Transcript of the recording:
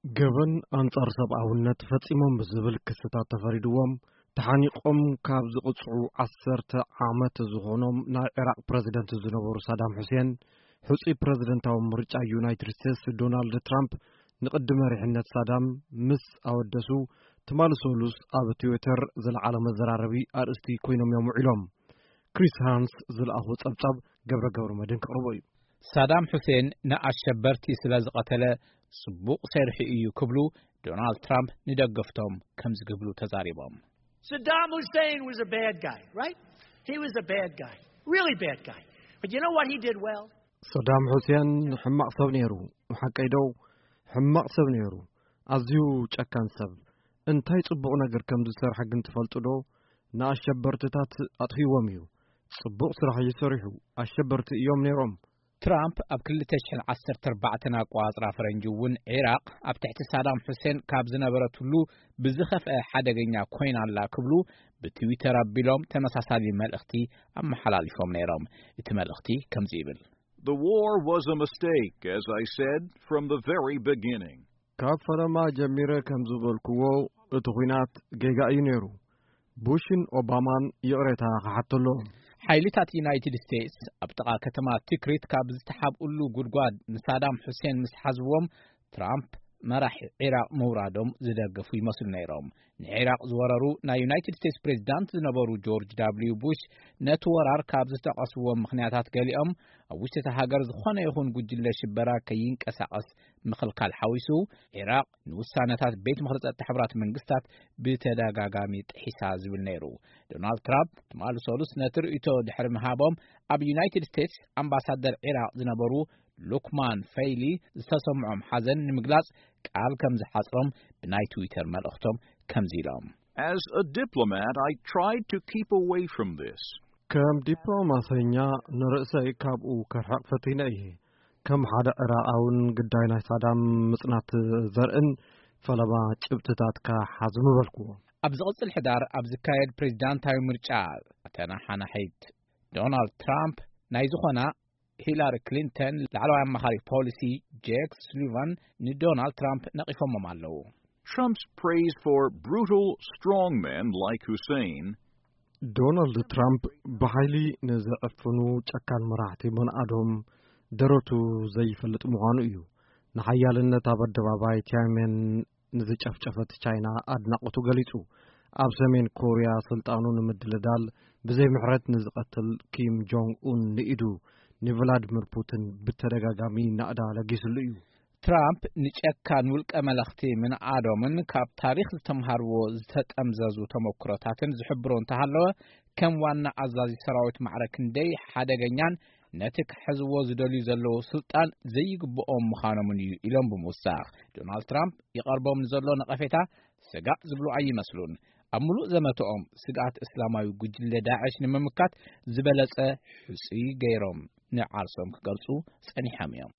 ገበን ኣንጻር ሰብኣውነት ፈጺሞም ብዝብል ክስታት ተፈሪድዎም፣ ተሓኒቖም ካብ ዝቕጽዑ ዓሰርተ ዓመት ዝኾኖም ናይ ዒራቕ ፕረዚደንት ዝነበሩ ሳዳም ሑሴን፣ ሕጹይ ፕረዚደንታዊ ምርጫ ዩናይትድ ስቴትስ ዶናልድ ትራምፕ ንቕዲ መሪሕነት ሳዳም ምስ ኣወደሱ፣ ትማሊ ሰሉስ ኣብ ትዊተር ዝለዓለ መዘራረቢ ኣርእስቲ ኮይኖም እዮም ውዒሎም። ክሪስ ሃንስ ዝለኣኹ ጸብጻብ ገብረ ገብረ መድህን ክቕርቦ እዩ። ሳዳም ሑሴን ንኣሸበርቲ ስለ ዝቐተለ ጽቡቕ ሰሪሑ እዩ ክብሉ ዶናልድ ትራምፕ ንደገፍቶም ከምዚ ክብሉ ተዛሪቦም። Saddam Hussein was a bad guy, right? He was a bad guy, really bad guy. But you know what he did well? ሰዳም ሑሴን ሕማቕ ሰብ ነይሩ። ሓቀይ ዶ? ሕማቕ ሰብ ነይሩ። ኣዝዩ ጨካን ሰብ። እንታይ ጽቡቕ ነገር ከም ዝሰርሐ ግን ትፈልጡ ዶ? ንኣሸበርትታት ኣጥፊዎም እዩ። ጽቡቕ ስራሕ እዩ ሰሪሑ። ኣሸበርቲ እዮም ነይሮም። ትራምፕ ኣብ ክልተ ሽሕን ዓሰርተ ኣርባዕተን ኣቆጻጽራ ፈረንጂ እውን ዒራቕ ኣብ ትሕቲ ሳዳም ሑሴን ካብ ዝነበረትሉ ብዝኸፍአ ሓደገኛ ኮይና ኣላ ክብሉ ብትዊተር ኣቢሎም ተመሳሳሊ መልእኽቲ ኣመሓላሊፎም ነይሮም። እቲ መልእኽቲ ከምዚ ይብል። The war was a mistake, as I said, from the very beginning. ካብ ፈለማ ጀሚረ ከም ዝበልክዎ፣ እቲ ኲናት ጌጋ እዩ ነይሩ። ቡሽን ኦባማን ይቕሬታ ክሓተሎም። ሓይልታት ዩናይትድ ስቴትስ ኣብ ጥቓ ከተማ ቲክሪት ካብ ዝተሓብኡሉ ጉድጓድ ንሳዳም ሑሴን ምስ ሓዝዎም፣ ትራምፕ መራሒ ዒራቕ ምውራዶም ዝደገፉ ይመስሉ ነይሮም። ንዒራቕ ዝወረሩ ናይ ዩናይትድ ስቴትስ ፕሬዚዳንት ዝነበሩ ጆርጅ ዳብልዩ ቡሽ፣ ነቲ ወራር ካብ ዝጠቐስዎም ምኽንያታት ገሊኦም፣ ኣብ ውሽጢ እታ ሃገር ዝኾነ ይኹን ጉጅለ ሽበራ ከይንቀሳቐስ ምኽልካል ሓዊሱ፣ ዒራቕ ንውሳነታት ቤት ምኽሪ ጸጥታ ሕቡራት መንግስታት ብተደጋጋሚ ጥሒሳ ዝብል ነይሩ። ዶናልድ ትራምፕ ትማሊ ሰሉስ ነቲ ርእይቶ ድሕሪ ምሃቦም፣ ኣብ ዩናይትድ ስቴትስ ኣምባሳደር ዒራቕ ዝነበሩ ሉክማን ፈይሊ ዝተሰምዖም ሓዘን ንምግላጽ ቃል ከም ዝሓጽሮም ብናይ ትዊተር መልእኽቶም ከምዚ ኢሎም። As a diplomat, I tried to keep away from this. ከም ዲፕሎማሰኛ ንርእሰይ ካብኡ ከርሕቕ ፈቲነ እየ። ከም ሓደ ዕራቓውን ግዳይ ናይ ሳዳም ምጽናት ዘርእን ፈለማ ጭብጥታትካ ሓዝ ምበልኩዎ። ኣብ ዝቕጽል ሕዳር ኣብ ዝካየድ ፕሬዚዳንታዊ ምርጫ፣ ተናሓናሒት ዶናልድ ትራምፕ ናይ ዝኾና ሂላሪ ክሊንተን ላዕለዋይ ኣማኻሪ ፖሊሲ ጄክ ሱሊቫን ንዶናልድ ትራምፕ ነቒፎሞም ኣለዉ። Trump's praise for brutal strongmen like Hussein ዶናልድ ትራምፕ ብሓይሊ ንዘዕፍኑ ጨካን መራሕቲ መንኣዶም ደረቱ ዘይፈልጥ ምዃኑ እዩ። ንሓያልነት ኣብ ኣደባባይ ቲያንሜን ንዝጨፍጨፈት ቻይና ኣድናቖቱ ገሊጹ። ኣብ ሰሜን ኮርያ ስልጣኑ ንምድልዳል ብዘይ ምሕረት ንዝቐትል ኪም ጆንግ ኡን ንኢዱ ንቭላድሚር ፑቲን ብተደጋጋሚ ናእዳ ለጊስሉ እዩ። ትራምፕ ንጨካን ውልቀ መለኽቲ ምንኣዶምን ካብ ታሪኽ ዝተምሃርዎ ዝተጠምዘዙ ተመክሮታትን ዝሕብሮ እንተሃለወ፣ ከም ዋና ኣዛዚ ሰራዊት ማዕረ ክንደይ ሓደገኛን ነቲ ክሕዝዎ ዝደልዩ ዘለዉ ስልጣን ዘይግብኦም ምዃኖምን እዩ ኢሎም ብምውሳኽ፣ ዶናልድ ትራምፕ ይቐርቦም ንዘሎ ነቐፌታ ስጋእ ዝብሉ ኣይመስሉን። ኣብ ምሉእ ዘመተኦም ስግኣት እስላማዊ ጉጅለ ዳዕሽ ንምምካት ዝበለጸ ሕጹይ ገይሮም ንዓርሶም ክገልጹ ጸኒሖም እዮም።